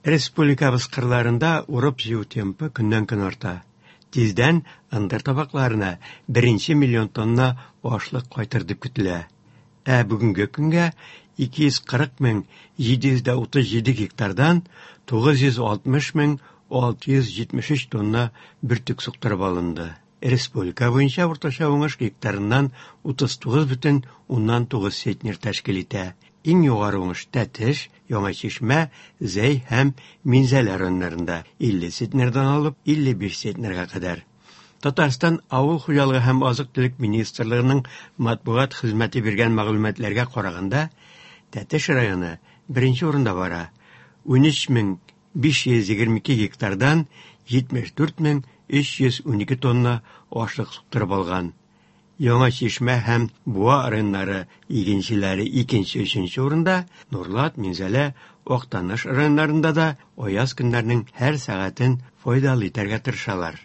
Республикабыз кырларында урып-җыю темпы көннән-көн арта. Тиздән ындыр табакларына беренче миллион тонна ашлык кайтыр дип көтелә. Ә бүгенге көнгә 240 мең 737 гектардан 960 мең 673 тонна бөртек суктырып алынды. Республика буенча уртача уңыш гектарыннан 39,9 центнер тәшкил итә. Иң югары уңыш Тәтеш, Яңа Чишмә, Зәй һәм Минзәлә районнарында 50 центнердан алып 55 центнерга кадәр. Татарстан Авыл хуҗалыгы һәм азык-төлек министрлыгының матбугат хезмәте биргән мәгълүматларга караганда, Тәтеш районы беренче урында бара. 13522 гектардан 74312 тонна ашлык суктырып алган. Яңа Чишмә һәм Буа районнары игенчеләре икенче-өченче урында, Нурлат, Минзәлә, Актаныш районнарында да аяз көннәрнең һәр сәгатен файдалы итәргә тырышалар.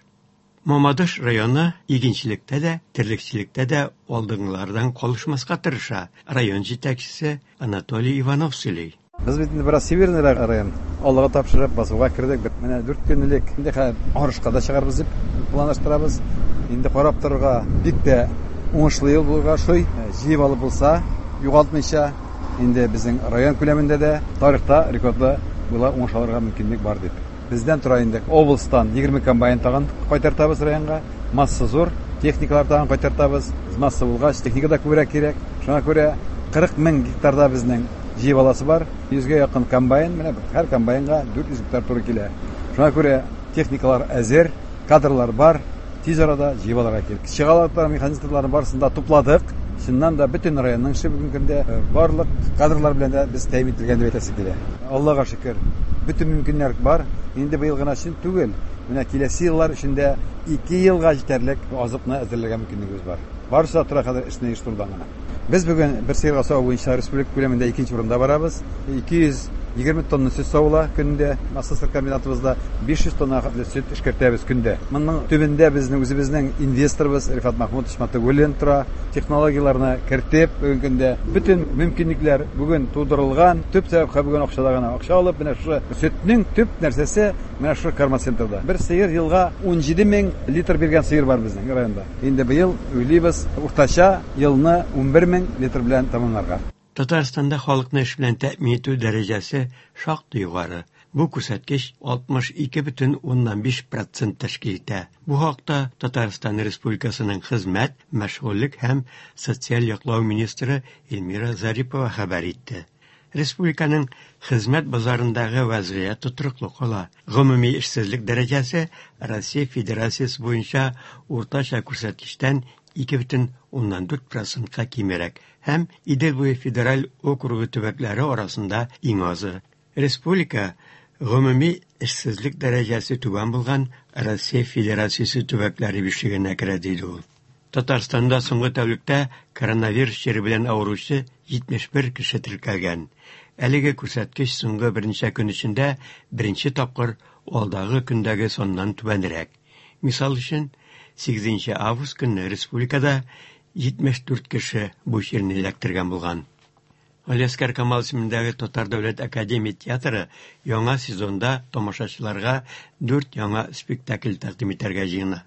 Мамадыш районы игенчелектә дә, терлекчелектә дә алдынгылардан калышмаска тырыша, район җитәкчесе Анатолий Иванов сөйли. Без бит инде бераз северныйрак район. Аллага тапшырып, басуга кердек. Менә 4 көн элек инде хәзер арышка да чыгарбыз дип планлаштырабыз. Инде карап торырга бик тә уңышлы ел булырга ошый. Җыеп алып булса, югалтмыйча, инде безнең район күләмендә дә тарихта рекордлы була уңыш алырга мөмкинлек бар дип. Бездән тора инде. Областан 20 комбайн тагын кайтартабыз районга. Масса зур, техникалар тагын кайтартабыз. Масса булгач, техника да күбрәк кирәк. Шуңа күрә 40 мең гектарда безнең җыеп аласы бар. 100гә якын комбайн, менә һәр комбайнга 400 гектар туры килә. Шуңа күрә техникалар әзер, кадрлар бар, тиз арада җыеп алырга кирәк. Чыгалыклар, механизаторларны барысын да тупладык. Чыннан да бөтен районның эше бүгенге көндә барлык кадрлар белән дә без тәэмин ителгән дип әйтәсе килә. Аллага шөкер, бөтен мөмкиннәр бар. Инде быел гына өчен түгел, менә киләсе еллар өчен дә 2 елга җитәрлек азыкны әзерләргә мөмкинлегебез бар. Барысы да тора хәзер эшне оештырудан гына. Без бүген бер сыерга саву буенча республика күләмендә икенче урында барабыз. 220 тонна сөт савыла көндә. Маслосыр комбинатыбызда 500 тонна хәтле сөт эшкәртәбез көндә. Моның төбендә безнең үзебезнең инвесторыбыз Рифат Махмутович Матыгуллин тора. Технологияләрне кертеп, бүгенге көндә бөтен мөмкинлекләр бүген тудырылган. Төп сәбәп бүген акчада гына. Акча алып, менә шушы сөтнең төп нәрсәсе менә шушы кормоцентрда. Бер сыер елга 17 мең литр биргән сыер бар безнең районда. Инде быел уйлыйбыз уртача елны 11 мең литр белән тәмамларга. Татарстанда халыкны эш белән тәэмин итү дәрәҗәсе шактый югары. Бу күрсәткеч 62,5% тәшкил итә. Бу хакта Татарстан Республикасының хезмәт, мәшгульлек һәм социаль яклау министры Эльмира Зарипова хәбәр итте. Республиканың хезмәт базарындагы вәзгыять тотрыклы кала. Гомуми эшсезлек дәрәҗәсе Россия Федерациясе буенча уртача күрсәткечтән 2,4%-ка кимрәк һәм Идел буе федераль округы төбәкләре арасында иң азы. Республика гомуми эшсезлек дәрәҗәсе түбән булган Россия Федерациясе төбәкләре бишлегенә керә, диде ул. Татарстанда соңгы тәүлектә коронавирус чире белән авыручы 71 кеше теркәлгән. Әлеге күрсәткеч соңгы берничә көн эчендә беренче тапкыр алдагы көндәге саннан түбәнрәк. Мисал өчен, 8 август көнне республикада 74 кеше бу чирне эләктергән булган. Галиәсгар Камал исемендәге Татар дәүләт академия театры яңа сезонда тамашачыларга дүрт яңа спектакль тәкъдим итәргә җыена.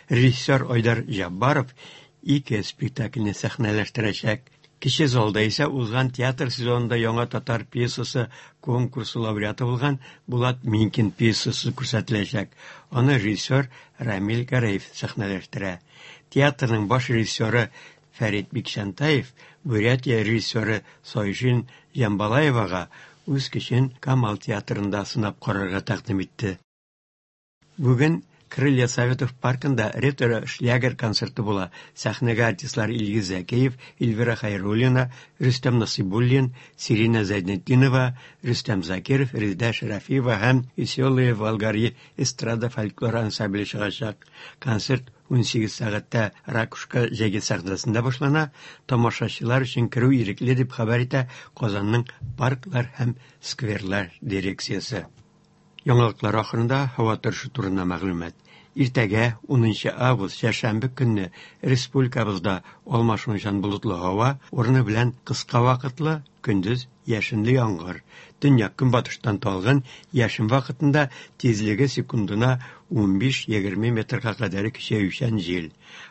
Режиссер Айдар Җаббаров ике спектакльне сәхнәләштерәчәк. Кече залда исә узган театр сезонында яңа татар пьесасы конкурсы лауреаты булган Булат Минкин пьесасы күрсәтеләчәк. Аны режиссер Рамил Гәрәев сәхнәләштерә. Театрның баш режиссеры Фәрит Бикчәнтаев Бурятия режиссеры Сойжин Җамбалаевага үз көчен Камал театрында сынап карарга тәкъдим итте. Бүген Крылья Советов паркында ретро-шлягер концерты була. Сәхнәгә артистлар Илгиз Зәкиев, Эльвира Хәйруллина, Рөстәм Насыйбуллин, Сирина Зәйнетдинова, Рөстәм Закиров, Резеда Шәрәфиева һәм Веселые Волгари эстрада фольклор ансамбле чыгачак. Концерт 18 сәгатьтә Ракушка җәйге сәхнәсендә башлана. Тамашачылар өчен керү ирекле дип хәбәр итә Казанның парклар һәм скверлар дирекциясе. Яңалыклар ахырында һава торышы турында мәгълүмат. Иртәгә 10 август чәршәмбе көнне республикабызда алмашынучан болытлы һава, урыны белән кыска вакытлы Көндез яшенле яңгыр. Төньяк-көнбатыштан талгын яшен вакытында тизлеге секундына 15-20 метрга кадәр көчәючән җил.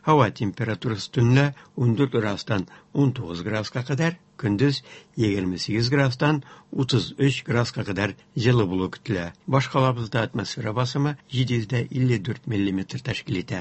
Һава температурасы төнлә 14 градустан 19 градуска кадәр, көндез 28 градустан 33 градуска кадәр җылы булу көтелә. Башкалабызда атмосфера басымы 754 миллиметр тәшкил итә.